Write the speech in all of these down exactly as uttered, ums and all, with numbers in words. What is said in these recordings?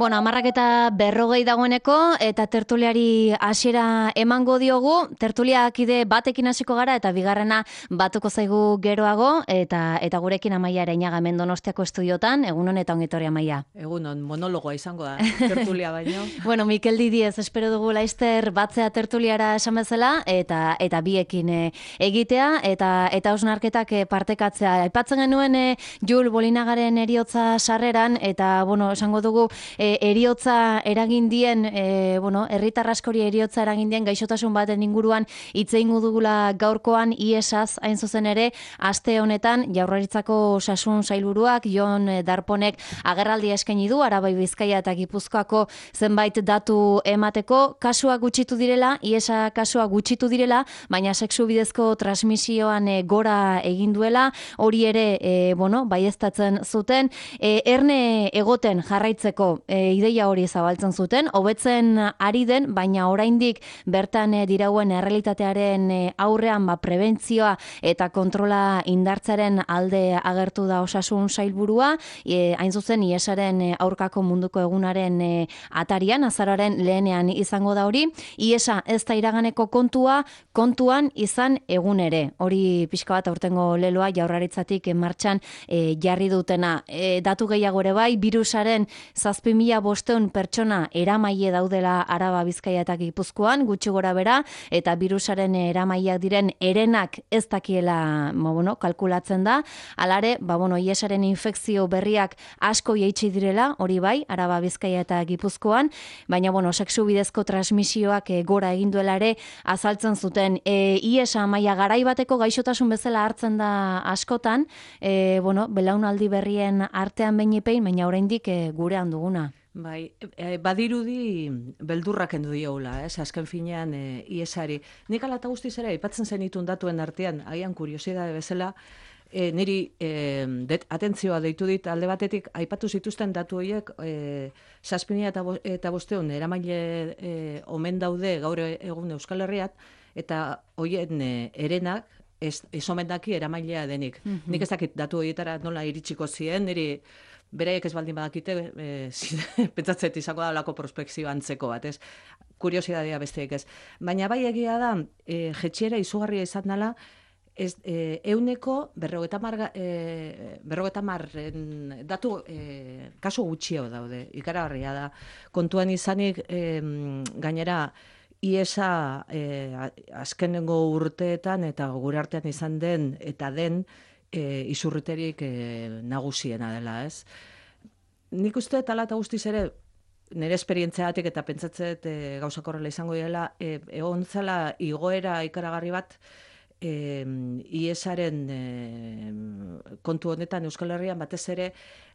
Bueno, amarrak eta berrogei dagoeneko, eta tertuliari hasiera emango diogu. Tertuliakide batekin hasiko gara, eta bigarrena batuko zaigu geroago, eta eta gurekin Amaia Areñaga hemen Donostiako estudiotan. Egunon eta ongi etorri, Amaia. Egunon, monologoa izango da, tertulia baino. Bueno, Mikel Didiez, espero dugu laizter batzea tertuliara esan bezala, eta eta biekin e, egitea, eta eta hausnarketak e, partekatzea. Aipatzen genuen e, Jul Bolinagaren eriotza sarreran, eta, bueno, esango dugu, e, eriotza eragindien, e, bueno, herritar askori eriotza eragindien gaixotasun baten inguruan hitz egingo dugula gaurkoan iesaz hain zuzen ere, aste honetan Jaurlaritzako osasun sailburuak Jon Darponek agerraldia eskaini du Arabai, Bizkaia eta Gipuzkoako zenbait datu emateko, kasua gutxitu direla, iesa kasua gutxitu direla, baina sexu bidezko transmisioan e, gora egin duela, hori ere, e, bueno, baieztatzen zuten, e, erne egoten jarraitzeko e, ideia hori zabaltzen zuten, hobetzen ari den, baina oraindik bertan e, dirauen errealitatearen e, aurrean ba, prebentzioa eta kontrola indartzaren alde agertu da osasun sailburua, e, hain zuzen iesaren e, aurkako munduko egunaren e, atarian, azararen lehenean izango da hori, iesa ez da iraganeko kontua, kontuan izan egun ere. Hori pixka bat aurtengo leloa Jaurlaritzatik martxan e, jarri dutena. E, datu gehiago ere bai, virusaren zazpi mila bosteun pertsona eramaile daudela Araba, Bizkaia eta Gipuzkoan, gutxi gora bera, eta virusaren eramaileak diren erenak ez dakiela, ba, bueno, kalkulatzen da. Alare, ba, bueno, iesaren infekzio berriak asko jaitsi direla, hori bai, Araba, Bizkaia eta Gipuzkoan, baina, bueno, sexu bidezko transmisioak e, gora egin duela ere azaltzen zuten. E, iesa maila garai bateko gaixotasun bezala hartzen da askotan, e, bueno, belaunaldi berrien artean behinepein, baina oraindik e, gurean duguna. Bai, e, badirudi beldurrak endu dioula, ez, azken finean e, iesari. Nik ala eta guztiz ere, aipatzen zenitun datuen artean, agian kuriosidade bezala, e, niri e, det, atentzioa deitu dit alde batetik, aipatu zituzten datu horiek, e, zazpinia eta, bo, eta bosteun eramaile e, omen daude gaur egun Euskal Herriat, eta hoien e, erenak, ez, ez omen daki eramailea denik. Mm-hmm. Nik ez dakit datu horietara nola iritsiko ziren, niri beraiek ez baldin badakite, e, pentsatzet izango da lako prospekzio antzeko bat, ez? Kuriosidadea besteek ez. Baina bai egia da, e, jetxiera izugarria izan dela, ez, e, euneko berrogeta mar, e, berrogeta marren datu e, kasu gutxio daude, ikaragarria da. Kontuan izanik, e, gainera, iesa e, azkenengo urteetan eta gure artean izan den eta den e, izurriterik e, nagusiena dela, ez? Nik uste tala eta guztiz ere, nire esperientziatik eta pentsatzet e, gauzak horrela izango dela, e, egon zela igoera ikaragarri bat, e, iesaren e, kontu honetan Euskal Herrian batez ere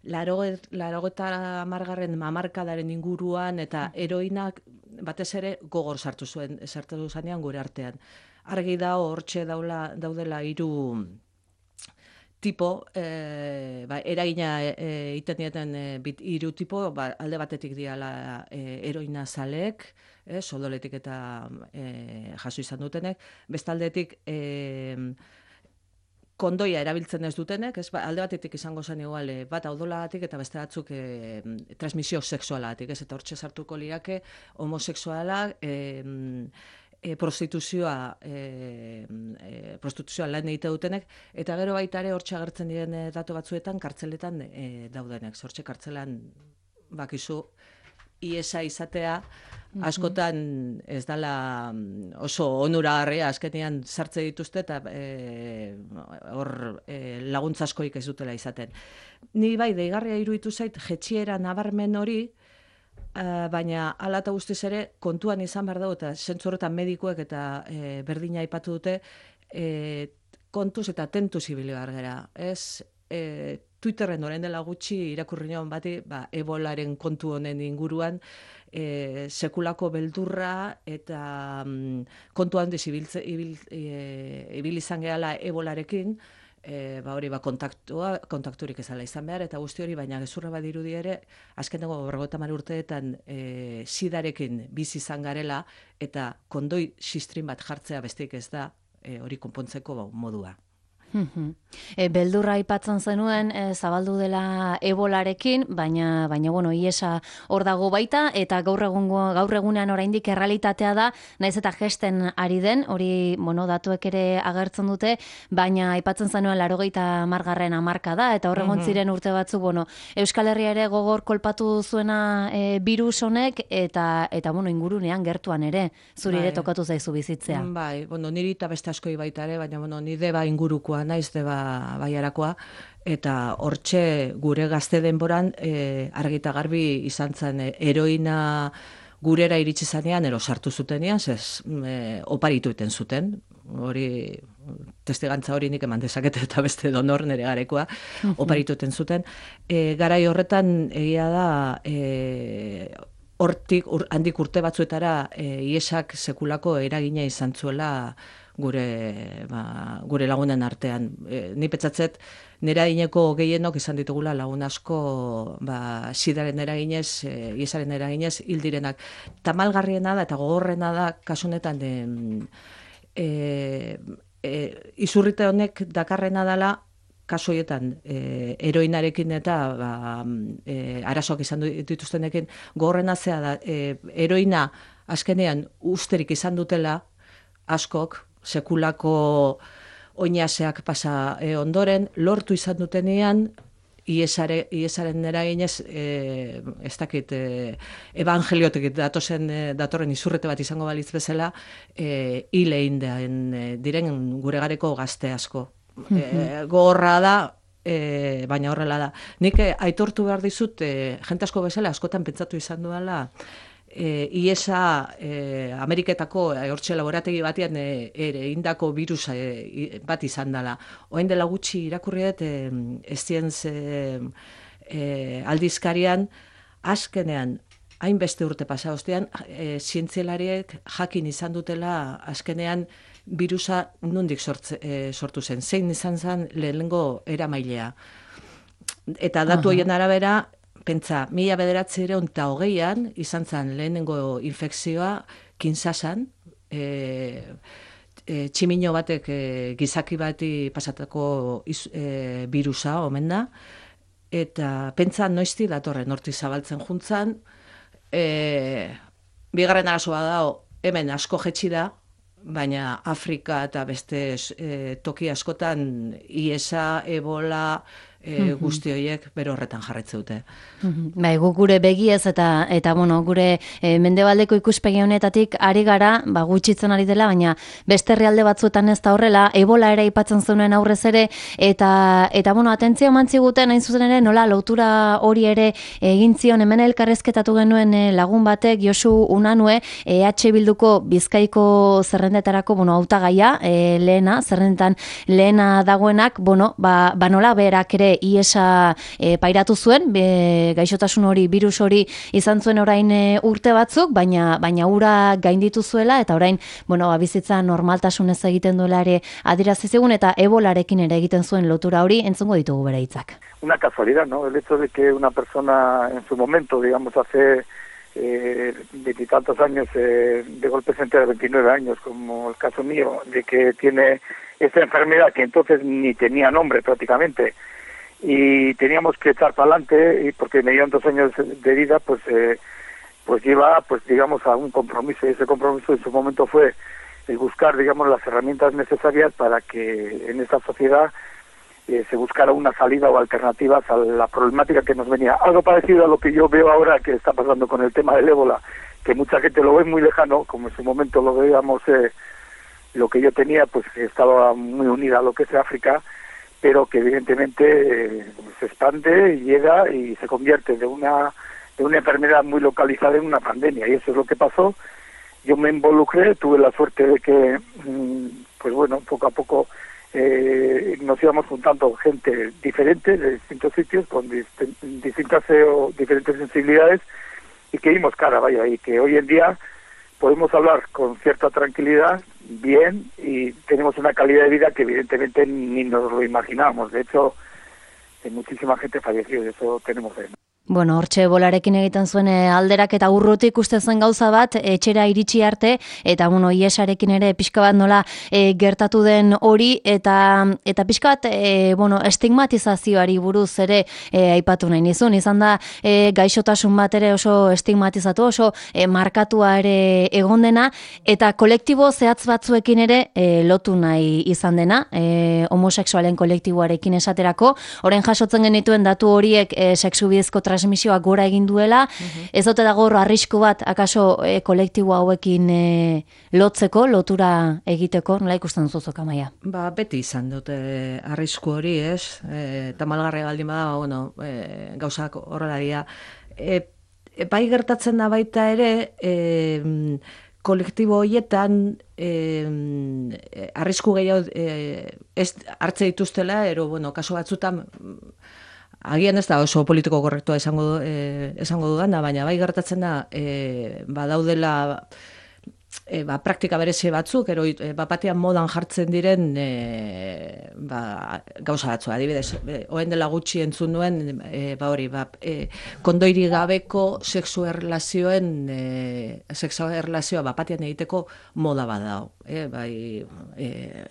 larogeta hamargarren hamarkadaren inguruan eta heroinak batez ere gogor sartu zuen, sartu zanean gure artean. Argi da hortxe daula, daudela hiru tipo, e, ba, eragina egiten e, dieten e, bit, hiru tipo, ba, alde batetik diala e, heroina zaleek, e, sodoletik eta e, jaso izan dutenek, bestaldetik e, kondoia erabiltzen ez dutenek, ez, ba, alde batetik izango zen igual, e, bat audolagatik eta beste batzuk e, transmisio sexualatik, ez, eta hortxe sartuko liake homosexualak, e, E, prostituzioa e, e, prostituzioa lan egite dutenek, eta gero baita ere hortxe agertzen diren e, datu batzuetan kartzeletan e, daudenek. Hortxe kartzelan bakizu iesa izatea askotan ez dala oso onuragarria, azkenean sartze dituzte eta e, hor e, laguntza askoik ez dutela izaten. Ni bai, deigarria iruditu zait, jetxiera nabarmen hori, Uh, baina hala eta guztiz ere kontuan izan behar dugu eta zentzu horretan medikuek eta e, berdina aipatu dute e, kontuz eta tentuz ibili behar gara. Ez, e, Twitterren orain dela gutxi irakurri nion bati, ba, ebolaren kontu honen inguruan e, sekulako beldurra eta mm, kontu handiz ibil, ibil, e, ibil izan gehala ebolarekin, E, ba hori ba kontaktua, kontakturik ezala izan behar, eta guzti hori, baina gezurra badirudi ere, azkeneko berrogeita hamar urteetan e, sidarekin bizi izan garela, eta kondoi sistrin bat jartzea besteik ez da e, hori konpontzeko ba, modua. E, beldurra aipatzen zenuen e, zabaldu dela ebolarekin, baina baina bueno, iesa hor dago baita eta gaur egungo gaur egunean oraindik errealitatea da, naiz eta gesten ari den, hori bueno, datuek ere agertzen dute, baina aipatzen zenuen laurogeita hamargarren hamarkada eta hor egon ziren urte batzuk, bueno, Euskal Herria ere gogor kolpatu zuena e, virus honek eta eta bueno, ingurunean gertuan ere, zuri ere tokatu zaizu bizitzea. Bai, bueno, niri eta beste askoi baita ere, baina bueno, ni deba ingurukoa naiz, deba baiarakoa, eta hortxe gure gazte denboran e, argita garbi izan zen e, heroina gurera iritsi zanean, ero sartu zutenean, zez e, oparitu iten zuten, hori testigantza hori nik eman dezakete eta beste donor nere garekoa, oparitu iten zuten. E, garai horretan egia da, e, hortik ur, handik urte batzuetara e, iesak sekulako eragina izan zuela gure, ba, gure lagunen artean. E, ni petzatzet, nera ineko gehienok izan ditugula lagun asko ba, sidaren eraginez, e, iesaren eraginez, hildirenak. Tamalgarriena da eta gogorrena da kasunetan e, e, e, izurrite honek dakarrena dela kasu horietan e, heroinarekin eta ba, e, arazoak izan dituztenekin gogorrena zea da, e, heroina azkenean usterik izan dutela askok, sekulako oinaseak pasa e, ondoren, lortu izan dutenean, iesare, iesaren eraginez, e, ez dakit, e, evangeliotik datozen, e, datorren izurrete bat izango balitz bezala, e, hile indean e, diren gure gareko gazte asko. E, gogorra da, e, baina horrela da. Nik e, aitortu behar dizut, e, jente asko bezala, askotan pentsatu izan duela, E, iesa e, Ameriketako e, hortxe laborategi batean e, ere indako virusa e, bat izan dela. Oen dela gutxi irakurri dut e, Science e, e, aldizkarian, azkenean, hainbeste urte pasa ostean, e, zientzialariek jakin izan dutela azkenean virusa nondik sortze, e, sortu zen. Zein izan zen lehenengo eramailea. Eta datu horien arabera, pentsa, mila bederatzireun eta hogeian, izan zen lehenengo infekzioa Kinsasan, e, e, tximino batek e, gizaki bati pasatako iz, e, virusa, omen da, eta pentsa noizti datorren horti zabaltzen juntzan, e, bigarren arazoa da, hemen asko jetxi da, baina Afrika eta beste e, toki askotan iesa, ebola, E, guzti horiek bere horretan jarretze dute. Bai, guk gure begiez eta eta bueno, gure e, mendebaldeko ikuspegi honetatik ari gara, ba gutxitzen ari dela, baina beste herrialde batzuetan ez da horrela, ebola ere aipatzen zuen aurrez ere eta eta bueno, atentzio eman ziguten hain zuzen ere nola lotura hori ere egin zion hemen elkarrezketatu genuen e, lagun batek Josu Unanue E H Bilduko Bizkaiko zerrendetarako, bueno, hautagaia, e, lehena, zerrendetan lehena dagoenak, bueno, ba, ba nola berak ere iesa e, pairatu zuen, be, gaixotasun hori, virus hori izan zuen orain e, urte batzuk, baina baina ura gainditu zuela eta orain, bueno, ba, bizitza normaltasunez egiten duela ere adierazi zigun eta ebolarekin ere egiten zuen lotura hori, entzungo ditugu bere hitzak. Una casualidad, ¿no? El hecho de que una persona en su momento, digamos, hace veintitantos eh, años, eh, de golpe se entera de veintinueve años, como el caso mío, de que tiene esta enfermedad que entonces ni tenía nombre prácticamente, y teníamos que echar para adelante, y porque me dieron dos años de vida, pues eh, pues lleva, pues digamos, a un compromiso, y ese compromiso en su momento fue el buscar, digamos, las herramientas necesarias para que en esta sociedad eh, se buscara una salida o alternativas a la problemática que nos venía. Algo parecido a lo que yo veo ahora que está pasando con el tema del ébola, que mucha gente lo ve muy lejano, como en su momento lo veíamos, eh, lo que yo tenía, pues estaba muy unida a lo que es África, pero que evidentemente eh, se expande, llega y se convierte de una de una enfermedad muy localizada en una pandemia, y eso es lo que pasó. Yo me involucré, tuve la suerte de que, pues bueno, poco a poco eh, nos íbamos juntando gente diferente de distintos sitios, con dist distintas eh, o diferentes sensibilidades, y que dimos cara, vaya, y que hoy en día podemos hablar con cierta tranquilidad, bien, y tenemos una calidad de vida que evidentemente ni nos lo imaginábamos. De hecho, muchísima gente falleció, y eso tenemos ahí. Bueno, hortxe bolarekin egiten zuen alderak eta urrutik uste zen gauza bat, etxera iritsi arte, eta bueno, iesarekin ere pixka bat nola e, gertatu den hori, eta eta pixka bat e, bueno, estigmatizazioari buruz ere e, aipatu nahi nizun, izan da e, gaixotasun bat ere oso estigmatizatu, oso e, markatua ere egon dena, eta kolektibo zehatz batzuekin ere e, lotu nahi izan dena, e, homosexualen kolektiboarekin esaterako, orain jasotzen genituen datu horiek e, sexu bidezko transmisioa gora egin duela, uh-huh. ez ote dago arrisku bat, akaso e, kolektibo hauekin e, lotzeko, lotura egiteko, nola ikusten zuzok, Amaia? Ba, beti izan dute arrisku hori, ez? E, tamalgarria baldin bada, bueno, e, gauzak horrela dira. E, e, bai gertatzen da baita ere, e, kolektibo horietan e, arrisku gehiago e, ez hartze dituztela, ero, bueno, kaso batzutan agian ez da oso politiko korrektua esango, eh, esango dudana, baina bai gertatzen da eh, badaudela e, ba, praktika berezi batzuk, ero e, bapatean modan jartzen diren e, ba, gauza batzu, adibidez, e, oen dela gutxi entzun nuen, e, ba hori, ba, e, kondoiri gabeko sexu erlazioen, e, sexu erlazioa bapatean egiteko moda badao, e, bai, e,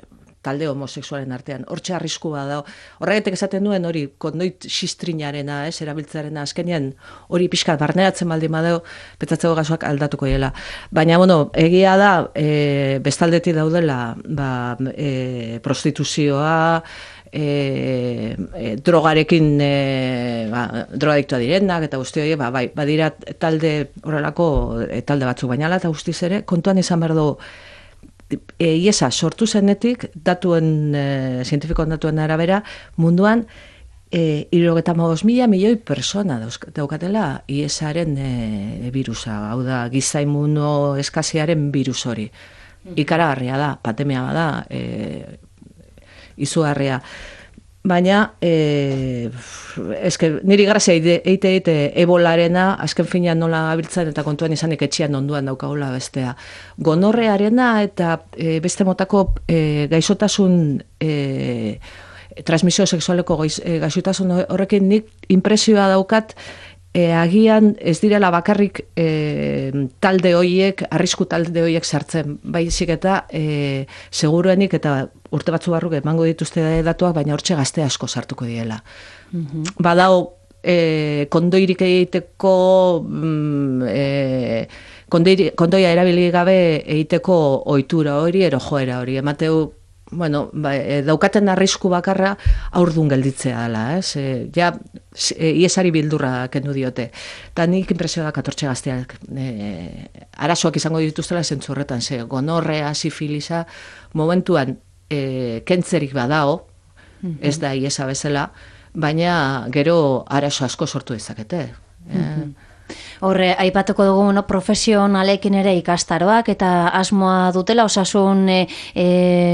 talde homosexualen artean, hortxe arriskua da. Horregatik esaten duen hori kondoit xistrinarena, ez, erabiltzarena azkenean hori pixkat barneratzen baldin badeo, petzatzeko gazoak aldatuko dela. Baina, bueno, egia da, e, bestaldetik daudela, ba, e, prostituzioa, e, e, drogarekin, e, ba, drogadiktua direnak, eta guzti hori, ba, bai, badira talde horrelako e, talde batzuk, baina ala eta guztiz ere, kontuan izan behar dugu, E, iesa sortu zenetik, datuen, e, zientifikoan datuen arabera, munduan, e, hirurogeita hamabost mila milioi persona daukatela iesaren e, virusa, hau da, giza immuno eskaziaren virus hori. Ikaragarria da, pandemia bada, e, izugarria. Baina, e, eske, niri grazia eite eite ebolarena, azken finean nola abiltzen eta kontuan izanik etxian onduan daukagula bestea. Gonorrearena eta e, beste motako e, gaixotasun, e, transmisio sexualeko e, gaixotasun horrekin nik impresioa daukat, E, agian ez direla bakarrik e, talde hoiek, arrisku talde hoiek sartzen, baizik eta e, seguruenik eta urte batzu barruk emango dituzte datuak, baina hortxe gazte asko sartuko diela. Mm-hmm. Badao, e, kondoirik egiteko, mm, e, kondoiri, kondoia erabili gabe egiteko ohitura hori, ero joera hori, emateu, bueno, ba, e, daukaten arrisku bakarra aurdun gelditzea dela, ez? E, ja, e, iesari bildurra kendu diote. Eta nik impresio da katortxe gazteak e, arazoak izango dituztela zentzu horretan, ze gonorrea, sifilisa, momentuan e, kentzerik badao, mm-hmm. ez da iesa bezala, baina gero arazo asko sortu dezakete. Mm-hmm. e, Horre, aipatuko dugu no, profesionalekin ere ikastaroak eta asmoa dutela osasun e, e,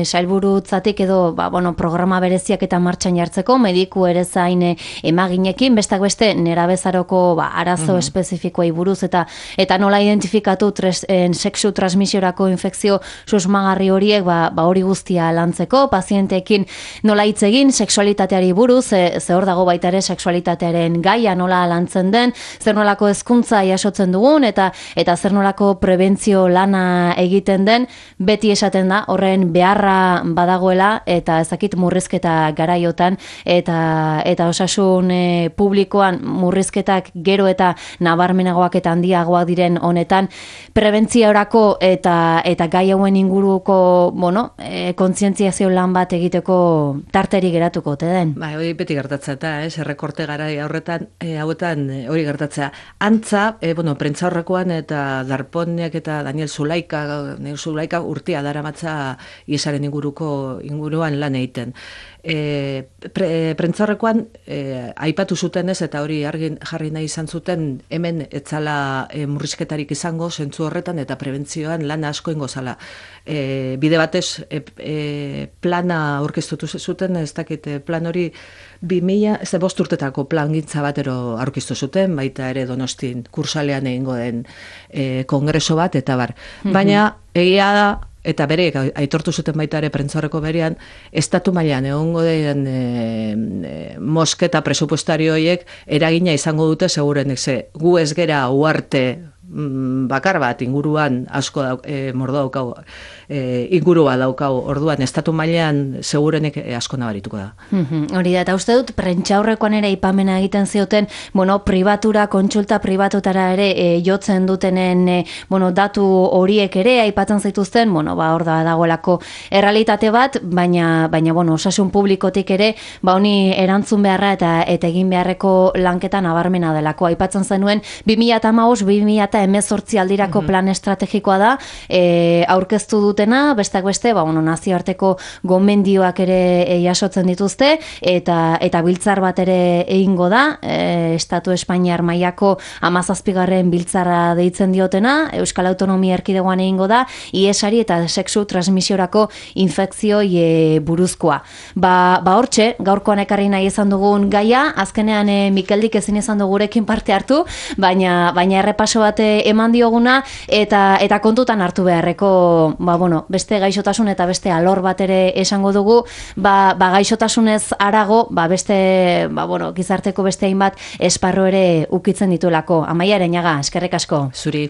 sailburutzatik edo ba, bueno, programa bereziak eta martxan jartzeko, mediku ere zain emaginekin, bestak beste nerabezaroko ba, arazo uh-huh. espezifikoei buruz eta eta nola identifikatu tres, en, sexu transmisiorako infekzio susmagarri horiek ba, ba hori guztia lantzeko, pazienteekin nola hitz egin, sexualitateari buruz, ze, ze hor dago baita ere sexualitatearen gaia nola lantzen den, zer nolako hezkuntza jasotzen dugun eta eta zer nolako prebentzio lana egiten den, beti esaten da horren beharra badagoela eta ezakit murrizketa garaiotan eta eta osasun e, publikoan murrizketak gero eta nabarmenagoak eta handiagoak diren honetan prebentziorako eta eta gai hauen inguruko, bueno, e, kontzientziazio lan bat egiteko tarteri geratuko ote den. Bai, hori beti gertatzen da, ez, errekorte garai horretan, e, hauetan e, hori gertatzea. Antza, e, bueno, prentza horrekoan eta Darponiak eta Daniel Zulaika, Daniel Zulaika urtea daramatza iesaren inguruko inguruan lan egiten. E, pre, prentza horrekoan e, aipatu zuten ez, eta hori argi jarri nahi izan zuten, hemen etzala e, murrizketarik izango zentzu horretan eta prebentzioan lan asko ingo zala. E, bide batez e, e, plana aurkeztutu zuten, ez dakit, plan hori bi mila, ez da bost urtetako plan gintza batero aurkeztu zuten, baita ere Donostin kursalean egingo den e, kongreso bat, eta bar. Mm-hmm. Baina egia da, eta bere aitortu zuten baita ere prentzaurreko berean, estatu mailan egongo den e, e, mosketa presupuestario horiek eragina izango dute segurenek ze gu ez gera uarte bakar bat inguruan asko da, e, mordo daukau, e, ingurua daukau, orduan estatu mailean segurenek asko nabarituko da. Mm-hmm. Hori da, eta uste dut prentxaurrekoan ere ipamena egiten zioten, bueno, pribatura, kontsulta pribatutara ere e, jotzen dutenen e, bueno, datu horiek ere aipatzen zituzten, bueno, ba, hor da dagoelako errealitate bat, baina, baina bueno, osasun publikotik ere, ba, honi erantzun beharra eta, eta egin beharreko lanketa nabarmena delako. Aipatzen zenuen, bi mila hamabost bi mila hemezortzi aldirako plan estrategikoa da, e, aurkeztu dutena, besteak beste, ba, bueno, nazioarteko gomendioak ere e, jasotzen dituzte, eta eta biltzar bat ere egingo da, e, Estatu Espainiar mailako hamazazpigarren biltzarra deitzen diotena, Euskal Autonomia Erkidegoan egingo da, iesari eta sexu transmisiorako infekzioi e, buruzkoa. Ba, ba hortxe, gaurkoan ekarri nahi izan dugun gaia, azkenean e, Mikeldik ezin izan dugurekin parte hartu, baina, baina errepaso bat eman dioguna eta eta kontutan hartu beharreko ba, bueno, beste gaixotasun eta beste alor bat ere esango dugu, ba, ba gaixotasunez harago, ba beste ba, bueno, gizarteko beste hainbat esparru ere ukitzen dituelako. Amaia Areñaga, eskerrik asko. Zuri.